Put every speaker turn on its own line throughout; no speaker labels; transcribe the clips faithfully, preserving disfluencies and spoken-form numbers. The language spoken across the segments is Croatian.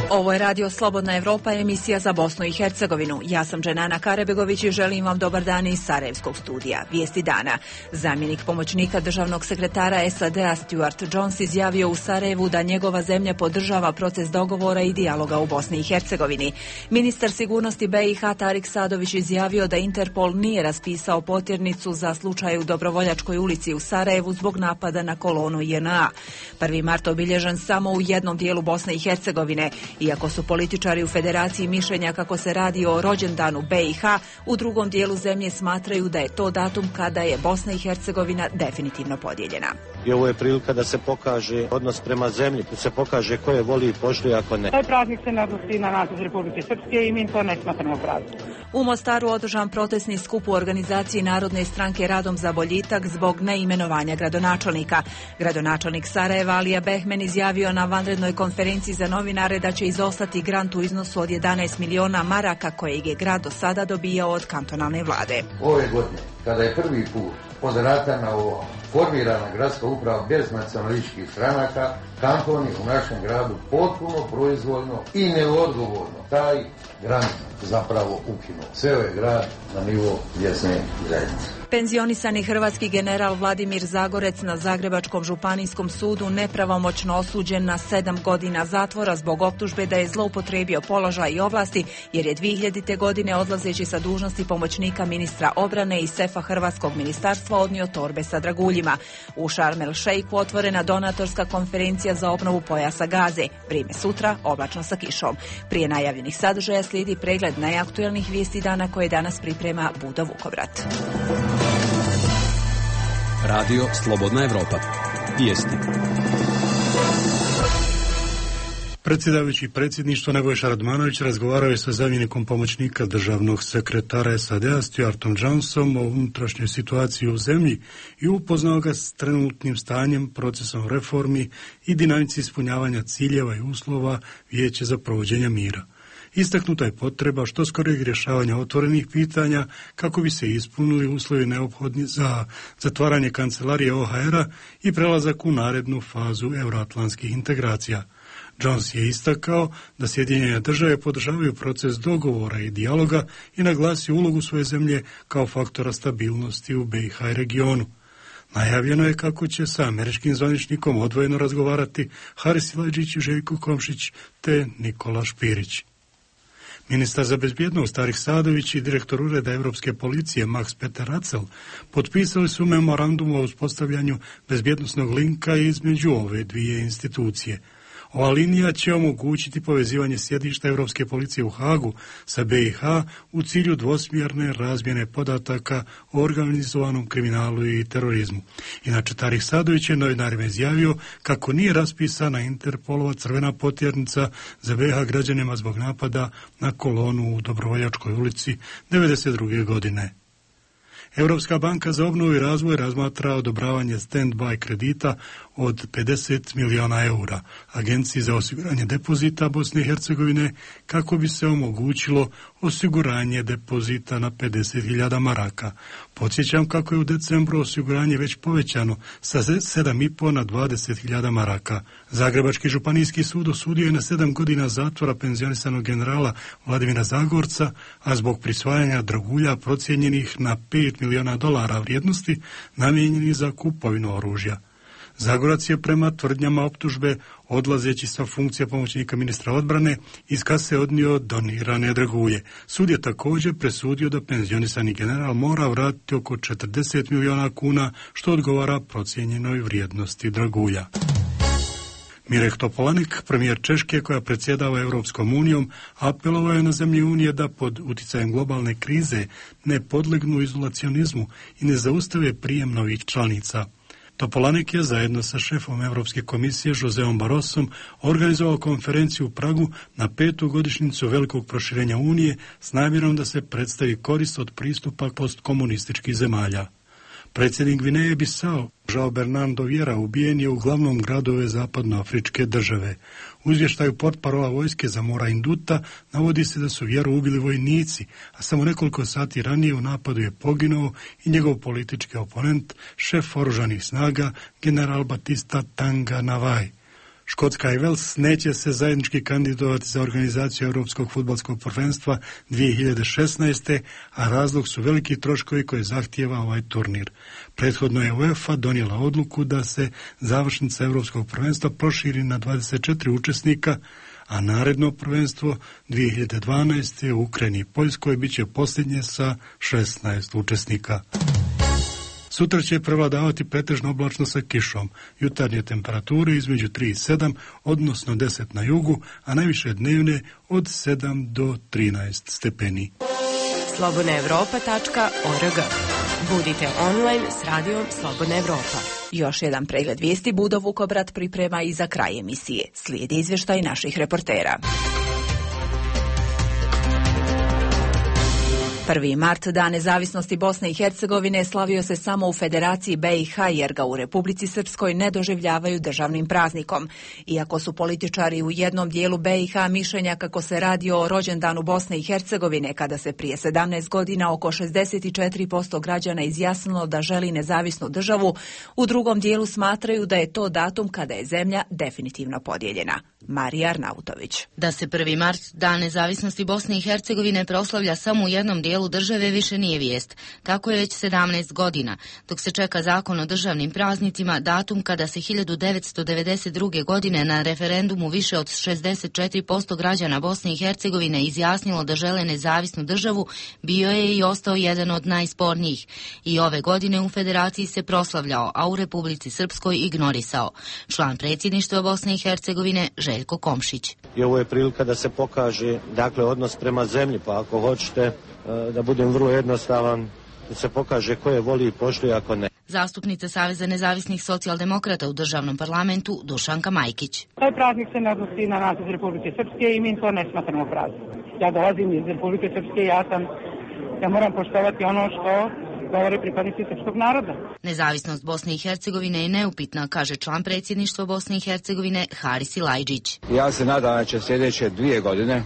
Ovo je Radio Slobodna Evropa, emisija za Bosnu i Hercegovinu. Ja sam Dženana Karebegović i želim vam dobar dan iz Sarajevskog studija. Vijesti dana. Zamjenik pomoćnika državnog sekretara S A D-a Stuart Jones izjavio u Sarajevu da njegova zemlja podržava proces dogovora i dijaloga u Bosni i Hercegovini. Ministar sigurnosti B i H Tarik Sadović izjavio da Interpol nije raspisao potjernicu za slučaj u Dobrovoljačkoj ulici u Sarajevu zbog napada na kolonu J N A. prvi mart obilježen samo u jednom dijelu Bosne i Hercegovine. Iako su političari u Federaciji mišljenja kako se radi o rođendanu B i H, u drugom dijelu zemlje smatraju da je to datum kada je Bosna i Hercegovina definitivno podijeljena.
I ovo je prilika da se pokaže odnos prema zemlji, da se pokaže ko je voli i poštuje, ako ne.
Taj praznik se ne odnosi na nas iz Republike Srpske i mi to ne smatramo praznik.
U Mostaru održan protestni skup u organizaciji Narodne stranke Radom za boljitak zbog neimenovanja gradonačelnika. Gradonačelnik Sarajeva Alija Behmen izjavio na vanrednoj konferenciji za novinare da će izostati grant u iznosu od jedanaest miliona maraka kojeg je grad do sada dobijao od kantonalne vlade.
Ove godine, kada je prvi put od rata na ovo formirana gradska uprava bez nacionalističkih stranaka, kantoni u našem gradu potpuno proizvoljno i neodgovorno taj grant zapravo ukinuo. Ceo je grad na nivo mjesne zajednice.
Penzionisani hrvatski general Vladimir Zagorec na Zagrebačkom županijskom sudu nepravomoćno osuđen na sedam godina zatvora zbog optužbe da je zloupotrijebio položaj i ovlasti jer je dvije hiljadite. godine odlazeći sa dužnosti pomoćnika ministra obrane i sefa Hrvatskog ministarstva odnio torbe sa draguljima. U Šarm el Šejku otvorena donatorska konferencija za obnovu pojasa Gaze. Vrijeme sutra oblačno sa kišom. Prije najavljenih sadržaja slijedi pregled najaktuelnijih vijesti dana koje danas priprema Budo Vukovrat.
Radio Slobodna Evropa. Vijesti.
Predsjedavajući predsjedništvo Nebojša Radmanović razgovarao je sa zamjenikom pomoćnika državnog sekretara S A D-a Stuartom Jonesom o unutrašnjoj situaciji u zemlji i upoznao ga s trenutnim stanjem, procesom reformi i dinamici ispunjavanja ciljeva i uslova Vijeća za provođenje mira. Istaknuta je potreba što skorijeg rješavanja otvorenih pitanja kako bi se ispunili uslovi neophodni za zatvaranje kancelarije O H R-a i prelazak u narednu fazu euroatlantskih integracija. Jones je istakao da Sjedinjene države podržavaju proces dogovora i dijaloga i naglasio ulogu svoje zemlje kao faktora stabilnosti u B i H regionu. Najavljeno je kako će sa američkim zvaničnikom odvojeno razgovarati Haris Silajdžić, Željko Komšić te Nikola Špirić. Ministar za bezbjednost Tarik Sadović i direktor Ureda Europske policije Max Peter Racel potpisali su memorandum o uspostavljanju bezbjednosnog linka između ove dvije institucije. Ova linija će omogućiti povezivanje sjedišta Europske policije u Hagu sa B i H u cilju dvosmjerne razmjene podataka o organizovanom kriminalu i terorizmu. Inače, Tarik Sadović je novinarima izjavio kako nije raspisana Interpolova crvena potjernica za B i H građanima zbog napada na kolonu u Dobrovoljačkoj ulici devedeset druge. godine. Europska banka za obnovu i razvoj razmatra odobravanje stand-by kredita od pedeset miliona eura Agenciji za osiguranje depozita Bosne i Hercegovine kako bi se omogućilo osiguranje depozita na pedeset hiljada maraka. Podsjećam kako je u decembru osiguranje već povećano sa sedam i po na dvadeset hiljada maraka. Zagrebački županijski sud osudio je na sedam godina zatvora penzionisanog generala Vladimira Zagorca, a zbog prisvajanja dragulja procijenjenih na pet miliona dolara vrijednosti namijenjenih za kupovinu oružja. Zagorac je prema tvrdnjama optužbe, odlazeći sa funkcija pomoćnika ministra odbrane, iz kase odnio donirane dragulje. Sud je također presudio da penzionisani general mora vratiti oko četrdeset miliona kuna, što odgovara procijenjenoj vrijednosti dragulja. Mirek Topolanek, premijer Češke koja predsjedava Europskom unijom, apelovao je na zemlje Unije da pod uticajem globalne krize ne podlegnu izolacionizmu i ne zaustave prijem novih članica. Topolanek je zajedno sa šefom Europske komisije Joseom Barrosom organizovao konferenciju u Pragu na petu godišnjicu velikog proširenja Unije s namjerom da se predstavi korist od pristupa postkomunističkih zemalja. Predsjednik Gvineje Bisao, Joao Bernardo Vieira, ubijen je u glavnom gradu ove zapadnoafričke države. U izvještaju portparola vojske za Mora Induta navodi se da su Vieru ubili vojnici, a samo nekoliko sati ranije u napadu je poginuo i njegov politički oponent, šef oružanih snaga, general Batista Tanga Navai. Škotska i Vels neće se zajednički kandidovati za organizaciju Europskog fudbalskog prvenstva dvije hiljade šesnaeste. a razlog su veliki troškovi koje zahtijeva ovaj turnir. Prethodno je UEFA donijela odluku da se završnica Europskog prvenstva proširi na dvadeset četiri učesnika, a naredno prvenstvo dvije hiljade dvanaeste. u Ukrajini i Poljskoj bit će posljednje sa šesnaest učesnika. Sutra će prevladavati pretežno oblačno sa kišom. Jutarnje temperature između tri i sedam, odnosno deset na jugu, a najviše dnevne od sedam do trinaest stepeni.
slobodna evropa tačka org. Budite online s radijom Slobodna Evropa.
Još jedan pregled vijesti Budo Vukobrat priprema i za kraj emisije. Slijedi izvještaj naših reportera. Prvi mart, Dan nezavisnosti Bosne i Hercegovine, slavio se samo u Federaciji be i ha jer ga u Republici Srpskoj ne doživljavaju državnim praznikom. Iako su političari u jednom dijelu be i ha mišljenja kako se radi o rođendanu Bosne i Hercegovine, kada se prije sedamnaest godina oko šezdeset četiri posto građana izjasnilo da želi nezavisnu državu, u drugom dijelu smatraju da je to datum kada je zemlja definitivno podijeljena. Marija Arnautović.
Da se prvi mart, Dan nezavisnosti Bosne i Hercegovine, proslavlja samo u jednom dijelu države više nije vijest. Tako je već sedamnaest godina, dok se čeka zakon o državnim praznicima, datum kada se hiljadu devetsto devedeset druge. godine na referendumu više od šezdeset četiri posto građana Bosne i Hercegovine izjasnilo da žele nezavisnu državu, bio je i ostao jedan od najspornijih. I ove godine u Federaciji se proslavljao, a u Republici Srpskoj ignorisao. Član predsjedništva Bosne i Hercegovine Željko Komšić.
I ovo je prilika da se pokaže, dakle, odnos prema zemlji, pa ako hoćete da budem vrlo jednostavan, da se pokaže ko je voli i poštuje, ako ne.
Zastupnica Saveza nezavisnih socijaldemokrata u državnom parlamentu Dušanka Majkić.
Taj praznik se ne odnosi na nas iz Republike Srpske i mi to ne smatramo praznikom. Ja dolazim iz Republike Srpske i ja sam, ja moram poštovati ono što govore pripadnici srpskog naroda.
Nezavisnost Bosne i Hercegovine je neupitna, kaže član predsjedništva Bosne i Hercegovine Haris Ilajđić.
Ja se nadam da će sljedeće dvije godine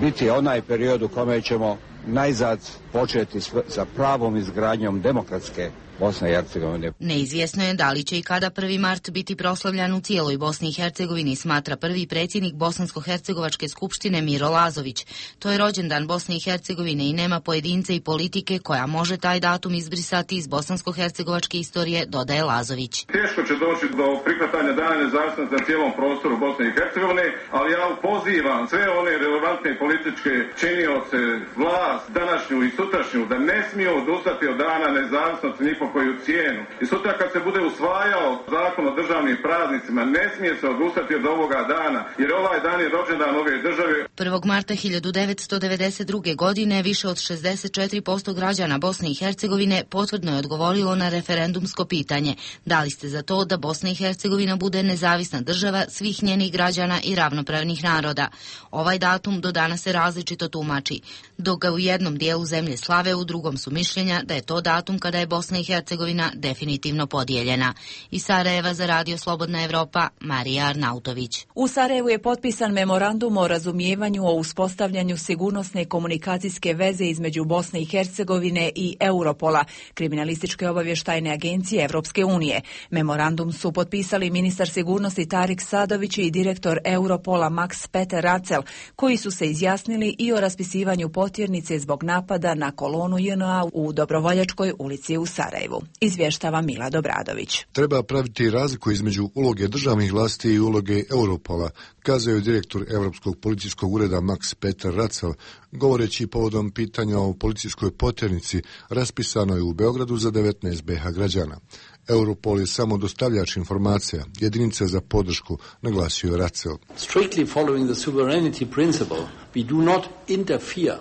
biti onaj period u kome ćemo najzad početi sa pravom izgradnjom demokratske Bosne i Hercegovine.
Neizvjesno je da li će i kada prvi mart biti proslavljan u cijeloj Bosni i Hercegovini, smatra prvi predsjednik Bosansko-hercegovačke skupštine Miro Lazović. To je rođendan Bosne i Hercegovine i nema pojedince i politike koja može taj datum izbrisati iz bosansko-hercegovačke istorije, dodaje Lazović.
Teško će doći do prihvatanja Dana nezavisnosti na cijelom prostoru Bosne i Hercegovine, ali ja pozivam sve one relevantne političke činioce, vlast, današnju i sutrašnju, da ne smiju odustati od Dana nezavisnosti ni po koju cijenu. I sutra kad se bude usvajao zakon o državnim praznicima, ne smije se odustati od ovoga dana, jer ovaj dan je rođendan ove države.
prvog marta hiljadu devetsto devedeset druge. godine više od šezdeset četiri posto građana Bosne i Hercegovine potvrdno je odgovorilo na referendumsko pitanje. Da li ste za to da Bosna i Hercegovina bude nezavisna država svih njenih građana i ravnopravnih naroda? Ovaj datum do danas se različito tumači. Dok ga u jednom dijelu zemlje slave, u drugom su mišljenja da je to datum kada je Bosna i Hercegovina definitivno podijeljena. Iz Sarajeva za Radio Slobodna Evropa, Marija Arnautović.
U Sarajevu je potpisan memorandum o razumijevanju o uspostavljanju sigurnosne komunikacijske veze između Bosne i Hercegovine i Europola, kriminalističke obavještajne agencije Evropske unije. Memorandum su potpisali ministar sigurnosti Tarik Sadović i direktor Europola Max Peter Racel, koji su se izjasnili i o raspisivanju potjernice zbog napada na kolonu je en a u Dobrovoljačkoj ulici u Sarajevu. Izvještava Mila Dobradović.
Treba praviti razliku između uloge državnih vlasti i uloge Europola, kazao je direktor Europskog policijskog ureda Max Peter Racel, govoreći povodom pitanja o policijskoj potjernici raspisanoj u Beogradu za devetnaest be ha građana. Europol je samo dostavljač informacija, jedinica za podršku, naglasio je Racel.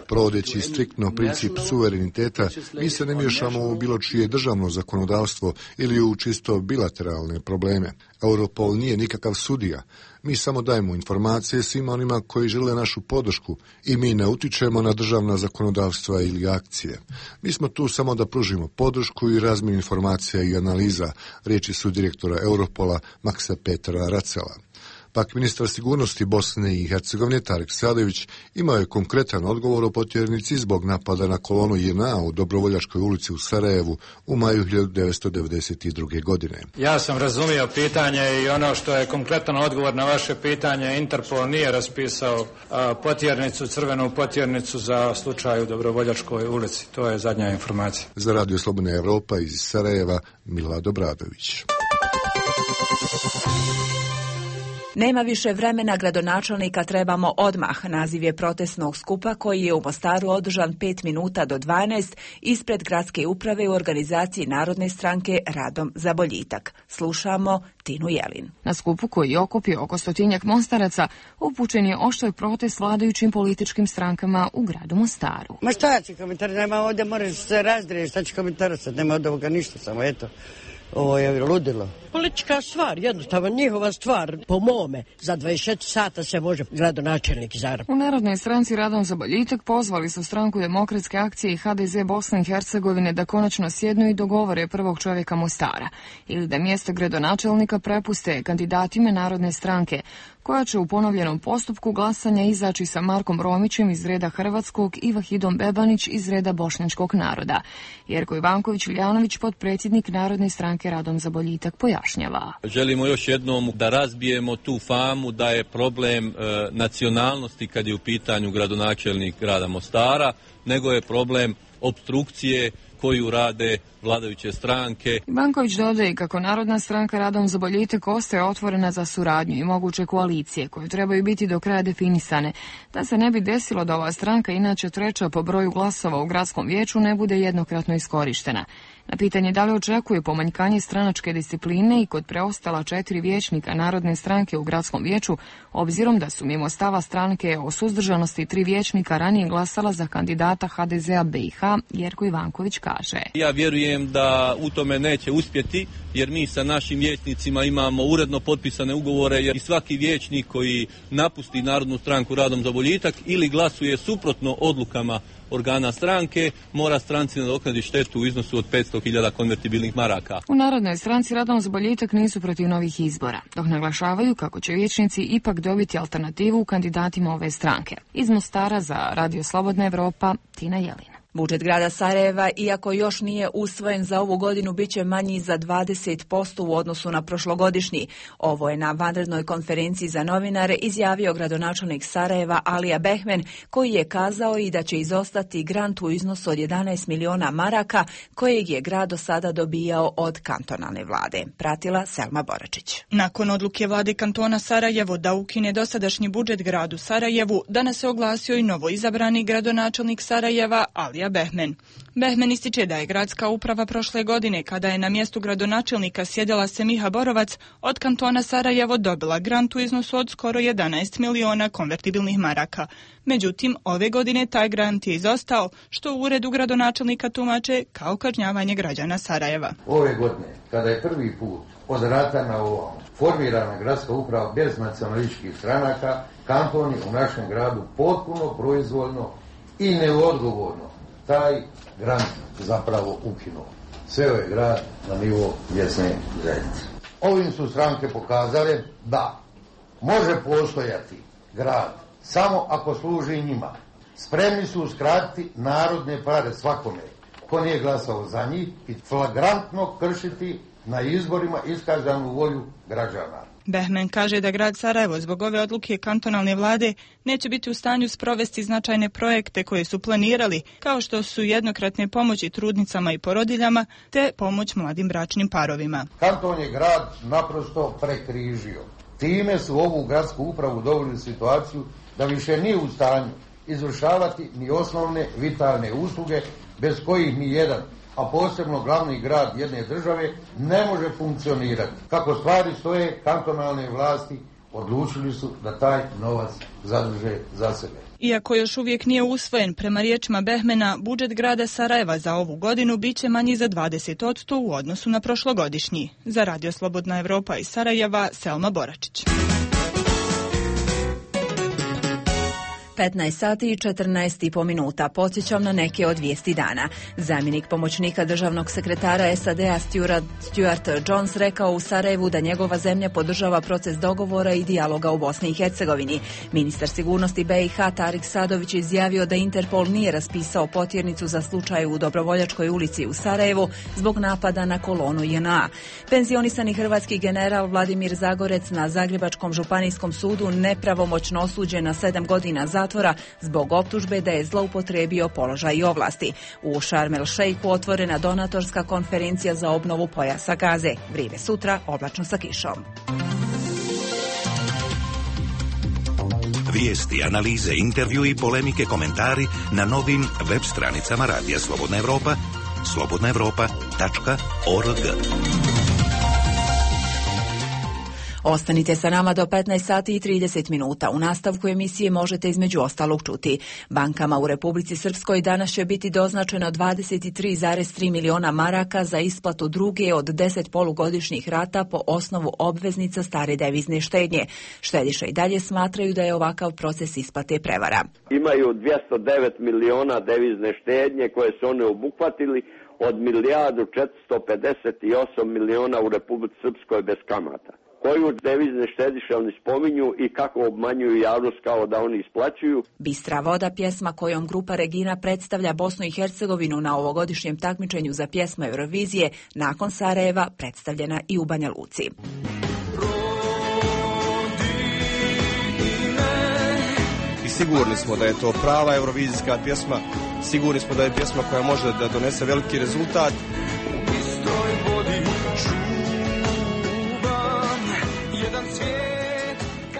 Provodeći striktno princip suvereniteta, mi se ne miješamo u bilo čije državno zakonodavstvo ili u čisto bilateralne probleme. Europol nije nikakav sudija. Mi samo dajemo informacije svima onima koji žele našu podršku i mi ne utičemo na državna zakonodavstva ili akcije. Mi smo tu samo da pružimo podršku i razmjenu informacija i analiza, riječi su direktora Europola Maxa Petra Racela. Pak ministar sigurnosti Bosne i Hercegovine Tarik Sadević imao je konkretan odgovor o potjernici zbog napada na kolonu J N A u Dobrovoljačkoj ulici u Sarajevu u maju hiljadu devetsto devedeset druge. godine.
Ja sam razumio pitanje i ono što je konkretan odgovor na vaše pitanje, Interpol nije raspisao a, potjernicu, crvenu potjernicu za slučaj u Dobrovoljačkoj ulici. To je zadnja informacija.
Za Radio Slobodna Evropa iz Sarajeva, Milad Obradović.
Nema više vremena, gradonačelnika trebamo odmah. Naziv je protestnog skupa koji je u Mostaru održan pet minuta do dvanaest ispred gradske uprave u organizaciji Narodne stranke Radom za boljitak. Slušamo Tinu Jelin.
Na skupu koji je okupio oko stotinjak Mostaraca upućen je oštar protest vladajućim političkim strankama u gradu Mostaru.
Ma šta će komentar, nema ovdje, moraš se razdrijeti, šta će komentarisati, nema od ovoga ništa, samo eto. Ovo je ludilo.
Politička stvar, jednostavno njihova stvar, po mome, za dvadeset četiri sata se može gradonačelnik izabrati.
U Narodnoj stranci Radom za boljitak pozvali su stranku Demokratske akcije i H D Z Bosne i Hercegovine da konačno sjednu i dogovore prvog čovjeka Mostara ili da mjesto gradonačelnika prepuste kandidatima Narodne stranke, koja će u ponovljenom postupku glasanja izaći sa Markom Romićem iz reda hrvatskog i Vahidom Bebanić iz reda bošnjačkog naroda. Jerko Ivanković-Iljanović, potpredsjednik Narodne stranke Radom za boljitak, pojašnjava.
Želimo još jednom da razbijemo tu famu da je problem e, nacionalnosti kad je u pitanju gradonačelnik grada Mostara, nego je problem opstrukcije koju rade vladajuće stranke.
Ivanković dodaje kako Narodna stranka Radom za boljitak ostaje otvorena za suradnju i moguće koalicije koje trebaju biti do kraja definisane, da se ne bi desilo da ova stranka, inače treća po broju glasova u gradskom vijeću, ne bude jednokratno iskorištena. Na pitanje da li očekuje pomanjkanje stranačke discipline i kod preostala četiri vijećnika Narodne stranke u gradskom vijeću, obzirom da su mimo stava stranke o suzdržanosti tri vijećnika ranije glasala za kandidata H D Z-a B i H, Jerko Ivanković kaže.
Ja vjerujem da u tome neće uspjeti, jer mi sa našim vijećnicima imamo uredno potpisane ugovore, jer i svaki vijećnik koji napusti Narodnu stranku Radom za boljitak ili glasuje suprotno odlukama organa stranke, mora stranci nadoknaditi štetu u iznosu od petsto hiljada konvertibilnih maraka.
U Narodnoj stranci Radom za boljitak nisu protiv novih izbora, dok naglašavaju kako će vijećnici ipak dobiti alternativu u kandidatima ove stranke. Iz Mostara za Radio Slobodna Evropa, Tina Jelina.
Budžet grada Sarajeva, iako još nije usvojen za ovu godinu, bit će manji za dvadeset posto u odnosu na prošlogodišnji. Ovo je na vanrednoj konferenciji za novinare izjavio gradonačelnik Sarajeva Alija Behmen, koji je kazao i da će izostati grant u iznosu od jedanaest miliona maraka kojeg je grad do sada dobijao od kantonalne vlade. Pratila Selma Boračić.
Nakon odluke vlade kantona Sarajevo da ukine dosadašnji budžet gradu Sarajevu, danas se oglasio i novo izabrani gradonačelnik Sarajeva Alija Behmen. Behmen ističe da je gradska uprava prošle godine, kada je na mjestu gradonačelnika sjedila Semiha Borovac, od kantona Sarajevo dobila grant u iznosu od skoro jedanaest miliona konvertibilnih maraka. Međutim, ove godine taj grant je izostao, što u uredu gradonačelnika tumače kao kažnjavanje građana Sarajeva.
Ove godine, kada je prvi put od rata na ovom formirana gradska uprava bez nacionalističkih stranaka, kanton je u našem gradu potpuno proizvoljno i neodgovorno taj grant zapravo ukinuo. Sveo je grad na nivo mjesne zajednice. Ovim su stranke pokazale da može postojati grad samo ako služi njima. Spremni su uskratiti narodne pare svakome ko nije glasao za njih i flagrantno kršiti na izborima iskazanu volju građana.
Behmen kaže da grad Sarajevo zbog ove odluke kantonalne vlade neće biti u stanju sprovesti značajne projekte koje su planirali, kao što su jednokratne pomoći trudnicama i porodiljama te pomoć mladim bračnim parovima.
Kanton je grad naprosto prekrižio. Time su ovu gradsku upravu doveli u situaciju da više nije u stanju izvršavati ni osnovne vitalne usluge bez kojih ni jedan, a posebno glavni grad jedne države, ne može funkcionirati. Kako stvari stoje, kantonalne vlasti odlučili su da taj novac zadrže za sebe.
Iako još uvijek nije usvojen, prema riječima Behmena, budžet grada Sarajeva za ovu godinu biće manji za dvadeset posto u odnosu na prošlogodišnji. Za Radio Slobodna Evropa iz Sarajeva, Selma Boračić.
petnaest sati i četrnaest i po minuta. Podsjećam na neke od vijesti dana. Zamjenik pomoćnika državnog sekretara S A D-a Stuart, Stuart Jones rekao u Sarajevu da njegova zemlja podržava proces dogovora i dijaloga u Bosni i Hercegovini. Ministar sigurnosti B i H Tarik Sadović izjavio da Interpol nije raspisao potjernicu za slučaj u Dobrovoljačkoj ulici u Sarajevu zbog napada na kolonu J N A. Penzionisani hrvatski general Vladimir Zagorec na Zagrebačkom županijskom sudu nepravomoćno osuđen na sedam godina zatvora zbog optužbe da je zloupotrijebio položaj i ovlasti. U Sharm el Sheikhu otvorena donatorska konferencija za obnovu pojasa Gaze. Vrijeme sutra, oblačno sa kišom.
Vijesti, analize, intervju i polemike, komentari na novim web stranicama Radija Slobodna Evropa, slobodna evropa tačka org.
Ostanite sa nama do petnaest sati i trideset minuta. U nastavku emisije možete između ostalog čuti. Bankama u Republici Srpskoj danas će biti doznačeno dvadeset tri zarez tri miliona maraka za isplatu druge od deset polugodišnjih rata po osnovu obveznica stare devizne štednje. Štediše i dalje smatraju da je ovakav proces isplate prevara.
Imaju dvjesto devet miliona devizne štednje koje su oni obuhvatili od milijardu četiristo pedeset osam miliona u Republici Srpskoj bez kamata. Koju devizne štediše oni spominju i kako obmanjuju javnost kao da oni isplaćuju.
Bistra voda, pjesma kojom grupa Regina predstavlja Bosnu i Hercegovinu na ovogodišnjem takmičenju za pjesmu Eurovizije, nakon Sarajeva predstavljena i u Banja Luci.
I sigurni smo da je to prava eurovizijska pjesma, sigurni smo da je pjesma koja može da donese veliki rezultat.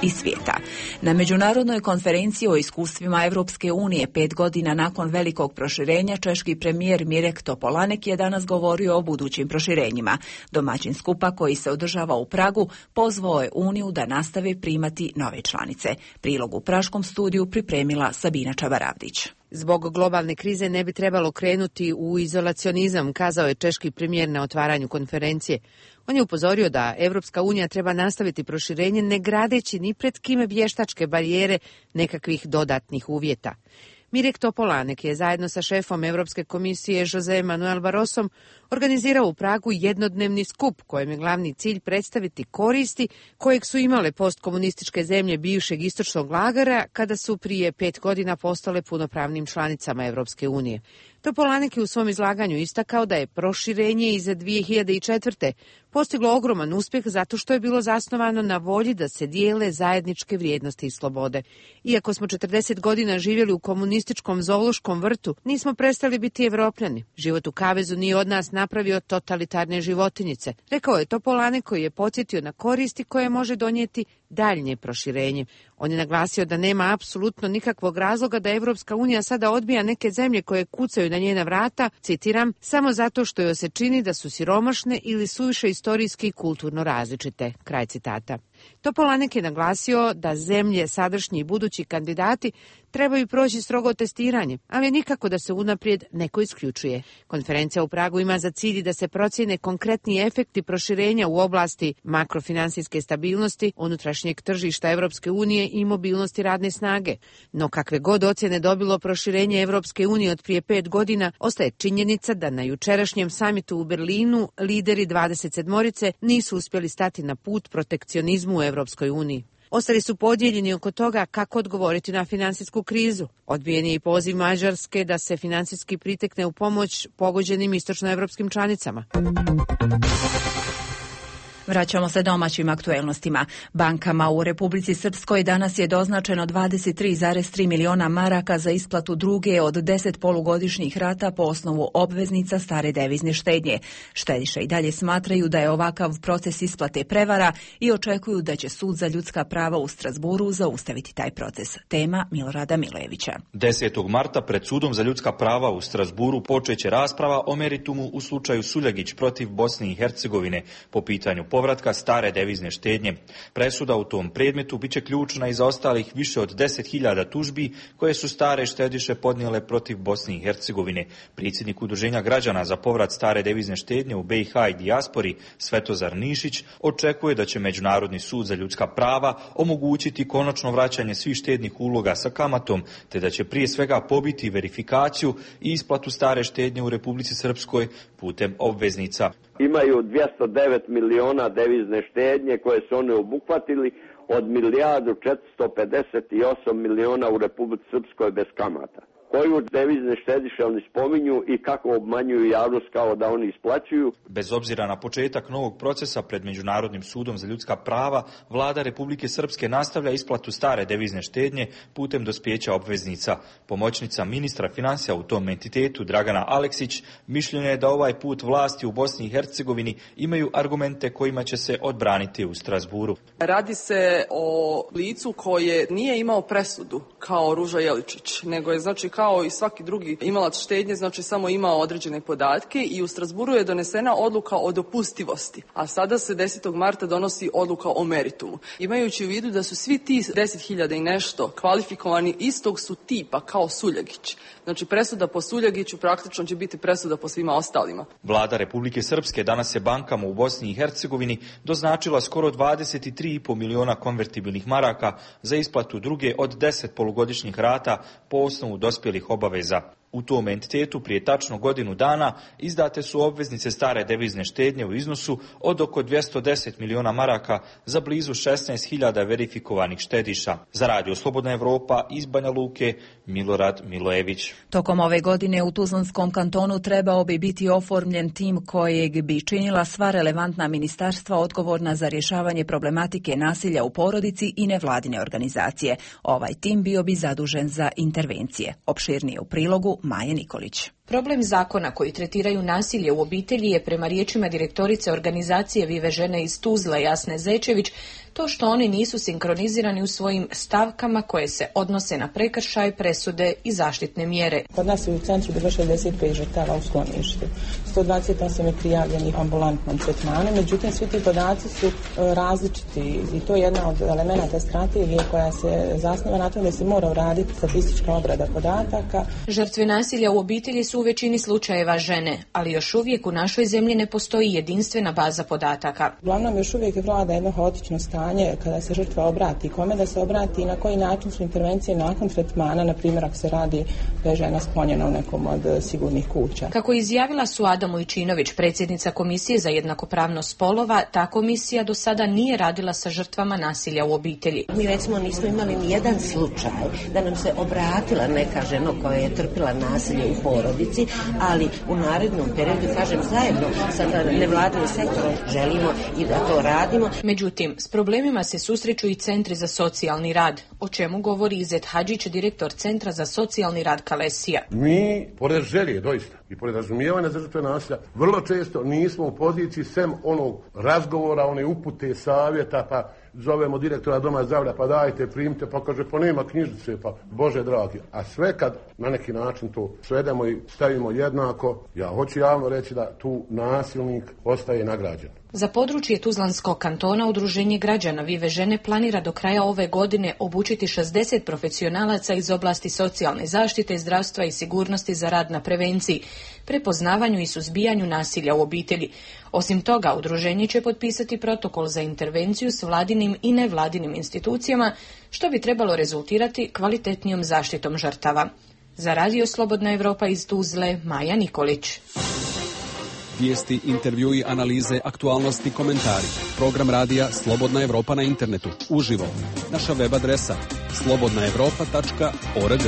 I svijeta. Na međunarodnoj konferenciji o iskustvima Evropske unije pet godina nakon velikog proširenja, češki premijer Mirek Topolanek je danas govorio o budućim proširenjima. Domaćin skupa koji se održava u Pragu pozvao je Uniju da nastave primati nove članice. Prilog u praškom studiju pripremila Sabina Čabaravdić.
Zbog globalne krize ne bi trebalo krenuti u izolacionizam, kazao je češki premijer na otvaranju konferencije. On je upozorio da Evropska unija treba nastaviti proširenje ne gradeći ni pred kime vještačke barijere nekakvih dodatnih uvjeta. Mirek Topolanek je zajedno sa šefom Europske komisije Jose Manuel Barrosom organizirao u Pragu jednodnevni skup kojem je glavni cilj predstaviti koristi kojeg su imale postkomunističke zemlje bivšeg istočnog lagera kada su prije pet godina postale punopravnim članicama Europske unije. Topolanek je u svom izlaganju istakao da je proširenje iz dvije hiljade četvrte. postiglo ogroman uspjeh zato što je bilo zasnovano na volji da se dijele zajedničke vrijednosti i slobode. Iako smo četrdeset godina živjeli u komunističkom zoološkom vrtu, nismo prestali biti Evropljani. Život u kavezu nije od nas napravio totalitarne životinjice, rekao je Topolanek koji je podsjetio na koristi koje može donijeti daljnje proširenje. On je naglasio da nema apsolutno nikakvog razloga da Evropska unija sada odbija neke zemlje koje kucaju na njena vrata, citiram, samo zato što joj se čini da su siromašne ili suviše istorijski i kulturno različite. Kraj citata. Topolanek je naglasio da zemlje, sadašnji i budući kandidati trebaju proći strogo testiranje, ali nikako da se unaprijed neko isključuje. Konferencija u Pragu ima za cilj da se procjene konkretni efekti proširenja u oblasti makrofinansijske stabilnosti, unutrašnjeg tržišta Evropske unije i mobilnosti radne snage. No kakve god ocjene dobilo proširenje Evropske unije od prije pet godina, ostaje činjenica da na jučerašnjem samitu u Berlinu lideri dvadeset sedmorice nisu uspjeli stati na put protekcionizmu u Evropskoj uniji. Ostali su podijeljeni oko toga kako odgovoriti na finansijsku krizu. Odbijen je i poziv Mađarske da se financijski pritekne u pomoć pogođenim istočnoevropskim članicama.
Vraćamo se domaćim aktuelnostima. Bankama u Republici Srpskoj danas je doznačeno dvadeset tri zarez tri miliona maraka za isplatu druge od deset polugodišnjih rata po osnovu obveznica stare devizne štednje. Štediše i dalje smatraju da je ovakav proces isplate prevara i očekuju da će Sud za ljudska prava u Strasburu zaustaviti taj proces. Tema Milorada Milojevića.
desetog marta pred Sudom za ljudska prava u Strasburu počeće rasprava o meritumu u slučaju Suljagić protiv Bosne i Hercegovine po pitanju povratka stare devizne štednje. Presuda u tom predmetu biće ključna i za ostalih više od deset hiljada tužbi koje su stare štediše podnijele protiv Bosne i Hercegovine. Predsjednik Udruženja građana za povrat stare devizne štednje u B i H i dijaspori Svetozar Nišić očekuje da će Međunarodni sud za ljudska prava omogućiti konačno vraćanje svih štednih uloga sa kamatom, te da će prije svega pobiti verifikaciju i isplatu stare štednje u Republici Srpskoj putem obveznica.
Imaju dvjesto devet miliona devizne štednje koje su oni obuhvatili od milijardu četiristo pedeset osam miliona u Republici Srpskoj bez kamata. Koju devizne štediše oni spominju i kako obmanjuju javnost kao da oni isplaćuju.
Bez obzira na početak novog procesa pred Međunarodnim sudom za ljudska prava, vlada Republike Srpske nastavlja isplatu stare devizne štednje putem dospijeća obveznica. Pomoćnica ministra financija u tom entitetu Dragana Aleksić mišljenja je da ovaj put vlasti u Bosni i Hercegovini imaju argumente kojima će se odbraniti u Strasburu.
Radi se o licu koje nije imao presudu kao Ruža Jeličić, nego je znači kao i svaki drugi imalac štednje, znači samo imao određene podatke i u Strasburu je donesena odluka o dopustivosti, a sada se desetog marta donosi odluka o meritumu. Imajući u vidu da su svi ti deset hiljada i nešto kvalifikovani istog su tipa kao Suljagić. Znači presuda po Suljagiću praktično će biti presuda po svima ostalima.
Vlada Republike Srpske danas je bankama u Bosni i Hercegovini doznačila skoro dvadeset tri i pol miliona konvertibilnih maraka za isplatu druge od deset polugodišnjih rata po osnovu dospjelih obaveza. U tom entitetu prije tačno godinu dana izdate su obveznice stare devizne štednje u iznosu od oko dvjesto deset miliona maraka za blizu šesnaest hiljada verifikovanih štediša. Za Radio Slobodna Evropa iz Banja Luke, Milorad Milojević.
Tokom ove godine u Tuzlanskom kantonu trebao bi biti oformljen tim kojeg bi činila sva relevantna ministarstva odgovorna za rješavanje problematike nasilja u porodici i nevladine organizacije. Ovaj tim bio bi zadužen za intervencije. Opširnije u prilogu Maje Nikolić.
Problem zakona koji tretiraju nasilje u obitelji je prema riječima direktorice organizacije Vive žene iz Tuzle Jasne Zečević to što oni nisu sinkronizirani u svojim stavkama koje se odnose na prekršaj, presude i zaštitne mjere.
Kod nas je u centru bilo šezdeset pet žrtava u skloništu. sto dvadeset osam je prijavljenih ambulantnom tretmanu, međutim svi ti podaci su različiti i to je jedna od elemenata strategije koja se zasniva na tome da se mora uraditi statistička obrada podataka.
Žrtve nasilja u obitelji su u većini slučajeva žene, ali još uvijek u našoj zemlji ne postoji jedinstvena baza podataka.
Uglavnom još uvijek vlada jedno haotično stanje kada se žrtva obrati, kome da se obrati i na koji način su intervencije nakon tretmana, na primjer ako se radi da je žena sklonjena u nekom od sigurnih kuća.
Kako je izjavila Suada Mujčinović, predsjednica Komisije za jednakopravnost spolova, ta komisija do sada nije radila sa žrtvama nasilja u obitelji.
Mi recimo nismo imali ni jedan slučaj da nam se obratila neka žena koja je trpila nasilje u porodici, ali u narednom periodu, kažem, zajedno sa nevladinim sektorom želimo i da to radimo.
Međutim, s problemima se susreću i centri za socijalni rad, o čemu govori Izet Hadžić, direktor Centra za socijalni rad Kalesija.
Mi, pored želje, doista, i pored razumijevanja za žrtve nasilja, vrlo često nismo u poziciji sem onog razgovora, one upute, savjeta, pa zovemo direktora doma zdravlja, pa dajte, primite, pa kaže, pa nema knjižice, pa Bože dragi. A sve kad na neki način to svedemo i stavimo jednako, ja hoću javno reći da tu nasilnik ostaje nagrađen.
Za područje Tuzlanskog kantona Udruženje građana Vive žene planira do kraja ove godine obučiti šezdeset profesionalaca iz oblasti socijalne zaštite, zdravstva i sigurnosti za rad na prevenciji, prepoznavanju i suzbijanju nasilja u obitelji. Osim toga, udruženje će potpisati protokol za intervenciju s vladinim i nevladinim institucijama, što bi trebalo rezultirati kvalitetnijom zaštitom žrtava. Za Radio Slobodna Evropa iz Tuzle, Maja Nikolić.
Vijesti, intervjui, analize, aktualnosti, komentari. Program radija Slobodna Evropa na internetu, uživo. Naša web adresa slobodna evropa tačka org.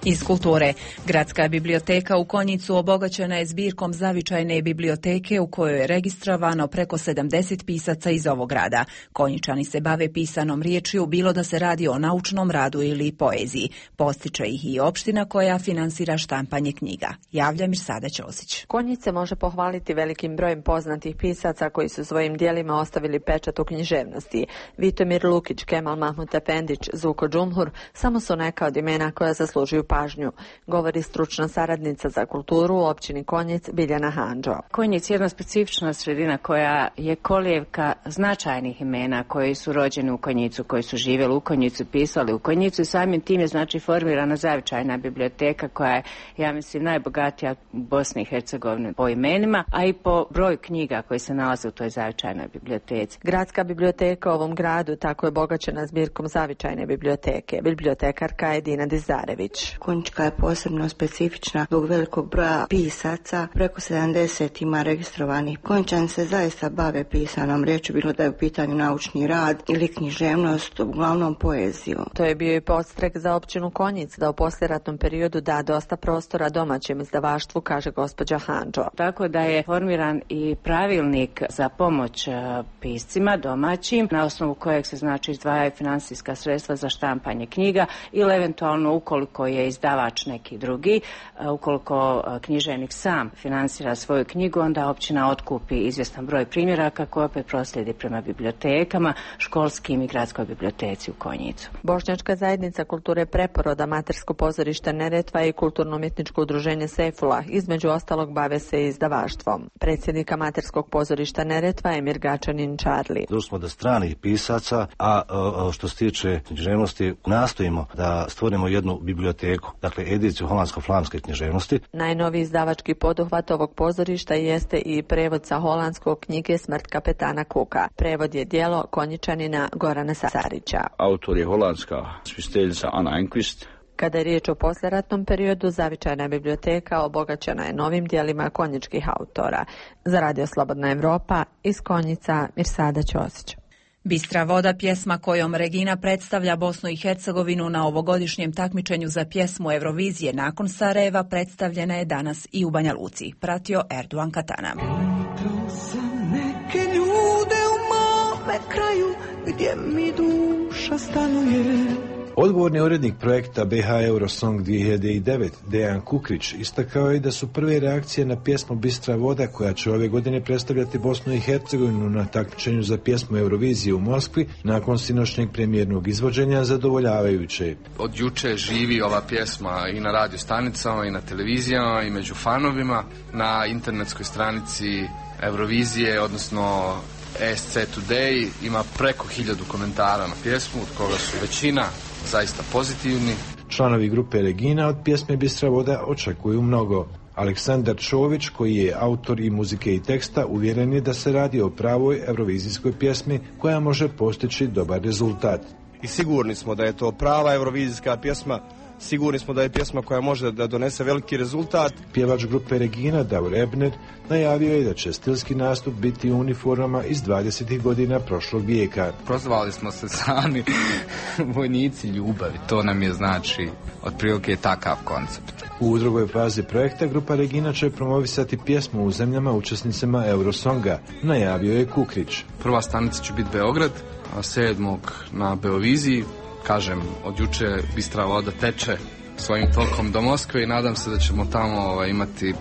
Iz kulture. Gradska biblioteka u Konjicu obogaćena je zbirkom zavičajne biblioteke u kojoj je registrovano preko sedamdeset pisaca iz ovog grada. Konjičani se bave pisanom riječju, bilo da se radi o naučnom radu ili poeziji. Postiče ih i opština koja finansira štampanje knjiga. Javlja Mirsada Ćosić.
Konjic se može pohvaliti velikim brojem poznatih pisaca koji su svojim dijelima ostavili pečat u književnosti. Vitomir Lukić, Kemal Mahmut Efendić, Zuko Džumhur samo su neka od imena koja zaslužuju pažnju pažnju, govori stručna saradnica za kulturu u općini Konjic Biljana Handžo.
Konjic je jedna specifična sredina koja je kolijevka značajnih imena koji su rođeni u Konjicu, koji su živjeli u Konjicu, pisali u Konjicu i samim tim je znači formirana zavičajna biblioteka koja je, ja mislim, najbogatija u Bosni i Hercegovini po imenima, a i po broju knjiga koji se nalaze u toj zavičajnoj biblioteci.
Gradska biblioteka u ovom gradu tako je obogaćena zbirkom zavičajne biblioteke. Bibliotekarka je Dina Dizarević.
Konjička je posebno specifična zbog velikog broja pisaca, preko sedamdeset ima registrovanih. Konjičani se zaista bave pisanom riječju, bilo da je u pitanju naučni rad ili književnost, uglavnom poeziju.
To je bio i podstrek za općinu Konjic da u poslijeratnom periodu da dosta prostora domaćem izdavaštvu, kaže gospođa Handžo.
Tako da je formiran i pravilnik za pomoć piscima domaćim, na osnovu kojeg se znači izdvajaju financijska sredstva za štampanje knjiga ili eventualno ukoliko je izdavač neki drugi, ukoliko književnik sam financira svoju knjigu, onda općina otkupi izvjestan broj primjeraka koje opet proslijedi prema bibliotekama, školskim i gradskoj biblioteci u Konjicu.
Bošnjačka zajednica kulture Preporoda, Matersko pozorište Neretva i kulturno-umjetničko udruženje Sefula između ostalog bave se izdavaštvom. Predsjednik Materskog pozorišta Neretva Emir Gačanin Čarli.
Došli smo do stranih pisaca, a, a što se tiče književnosti nastojimo da stvorimo jednu biblioteku, dakle ediciju holandsko-flamske književnosti.
Najnoviji izdavački poduhvat ovog pozorišta jeste i prevod sa holandskog knjige Smrt kapetana Kuka. Prevod je djelo Konjičanina Gorana Sarića.
Autor je holandska spisteljica Anna Enquist.
Kada je riječ o poslijeratnom periodu, zavičajna biblioteka obogaćena je novim dijelima konjičkih autora. Za Radio Slobodna Evropa, iz Konjica, Mirsada Ćosić.
Bistra voda, pjesma kojom Regina predstavlja Bosnu i Hercegovinu na ovogodišnjem takmičenju za pjesmu Eurovizije nakon Sarajeva, predstavljena je danas i u Banja Luci. Pratio Erdogan Katana.
Pitao sam neke ljude u mome kraju gdje mi duša stanuje.
Odgovorni urednik projekta B H Eurosong dvije hiljade devet, Dejan Kukrić, istakao je da su prve reakcije na pjesmu Bistra voda, koja će ove godine predstavljati Bosnu i Hercegovinu na takmičenju za pjesmu Eurovizije u Moskvi, nakon sinoćnjeg premijernog izvođenja, zadovoljavajuće.
Od juče živi ova pjesma i na radio stanicama i na televizijama i među fanovima, na internetskoj stranici Eurovizije, odnosno E S C Today, ima preko hiljadu komentara na pjesmu, od koga su većina zaista pozitivni.
Članovi grupe Regina od pjesme Bistra voda očekuju mnogo. Aleksandar Čović, koji je autor i muzike i teksta, uvjeren je da se radi o pravoj eurovizijskoj pjesmi koja može postići dobar rezultat.
I sigurni smo da je to prava eurovizijska pjesma. Sigurni smo da je pjesma koja može da donese veliki rezultat.
Pjevač grupe Regina, Davor Ebner, najavio je da će stilski nastup biti u uniformama iz dvadesetih godina prošlog vijeka.
Prozvali smo se sami vojnici ljubavi, to nam je znači otprilike takav koncept.
U drugoj fazi projekta grupa Regina će promovisati pjesmu u zemljama učesnicama Eurosonga, najavio je Kukrić.
Prva stanica će biti Beograd, a sedmog na Beoviziji. Kažem, od juče Bistra voda teče svojim tokom do Moskve i nadam se da ćemo tamo ovaj, imati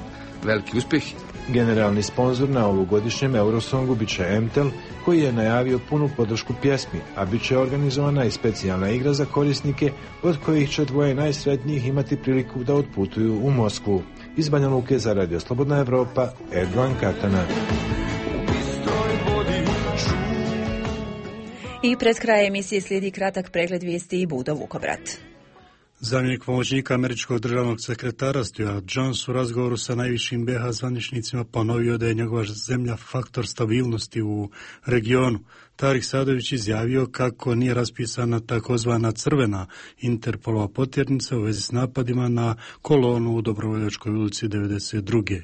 veliki uspjeh.
Generalni sponzor na ovogodišnjem Eurosongu bit će M T E L, koji je najavio punu podršku pjesmi, a bit će organizovana i specijalna igra za korisnike, od kojih će dvoje najsretnijih imati priliku da otputuju u Moskvu. Iz Banja Luke za Radio Slobodna Evropa, Erdogan Katana.
I pred kraj emisije slijedi kratak pregled vijesti i Budo Vukovrat.
Zamjenik pomoćnika američkog državnog sekretara Stuart Jones u razgovoru sa najvišim B H zvaničnicima ponovio da je njegova zemlja faktor stabilnosti u regionu. Tarik Sadović izjavio kako nije raspisana takozvana crvena Interpolova potjernica u vezi s napadima na kolonu u Dobrovoljačkoj ulici devedeset druge.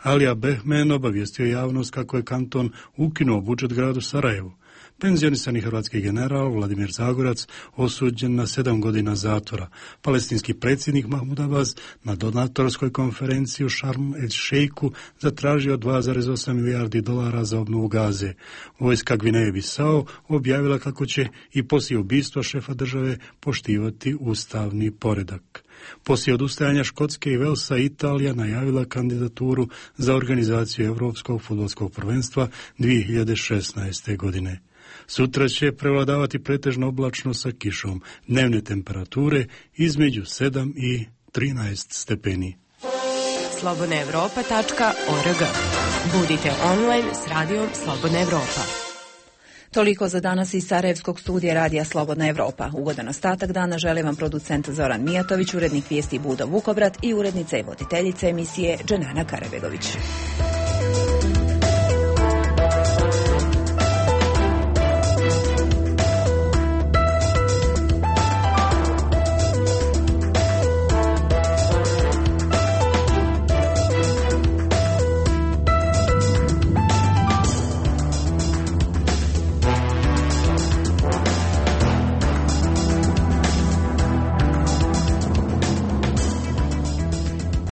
Alija Behmen obavijestio javnost kako je kanton ukinuo budžet gradu Sarajevu. Penzionisani hrvatski general Vladimir Zagorac osuđen na sedam godina zatvora. Palestinski predsjednik Mahmud Abbas na donatorskoj konferenciji u Šarm el Šejku zatražio dva zarez osam milijardi dolara za obnovu Gaze. Vojska Gvineje Bisao objavila kako će i poslije ubistva šefa države poštivati ustavni poredak. Poslije odustajanja Škotske i Velsa, Italija najavila kandidaturu za organizaciju Europskog fudbalskog prvenstva dvije hiljade šesnaeste. godine. Sutra će prevladavati pretežno oblačno sa kišom, dnevne temperature između sedam i trinaest stepeni.
slobodna evropa tačka org. Budite online s radijom Slobodna Evropa.
Toliko za danas iz Sarajevskog studija radija Slobodna Evropa. Ugodan ostatak dana želim vam producent Zoran Mijatović, urednik vijesti Budo Vukobrat i urednica i voditeljica emisije Dženana Karabegović.